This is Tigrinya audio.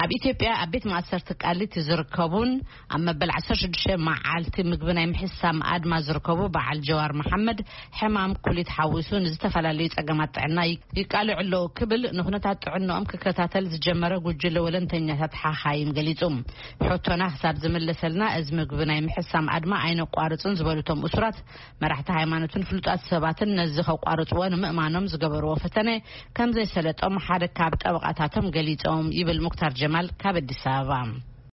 ኣብ ኢትዮጵያ ኣብ ቤት ማእሰርቲ ቃሊቲ ዝርከቡን ኣብ መበል ዓሰርተ ሽዱሽተ መዓልቲ ምግቢ ናይ ምሕሳም ኣድማ ዝርከቡ በዓል ጀዋር መሓመድ ሕማም ኩሊት ሓዊሱ ንዝተፈላለዩ ጸገማት ጥዕና ይቃልዑ ኣለዉ ክብል ንኹነታት ጥዕንኦም ክከታተል ዝጀመረ ጉጅለ ወለንተኛታት ሓኻይም ገሊጹ። ሕቶና ክሳብ ዝምለሰልና እዚ ምግቢ ናይ ምሕሳም ኣድማ ኣይነቋርጽን ዝበሉ እቶም እሱራት፣ መራሕቲ ሃይማኖትን ፍሉጣት ሰባትን ነዚ ከቋርጽዎ ንምእማኖም ዝገበርዎ ፈተነ ከም ዘይሰለጦም ሓደ ካብ ጠበቓታቶም ገሊጾም ይብል ሙክታር ጀማል ካብ ኣዲስ ኣበባ።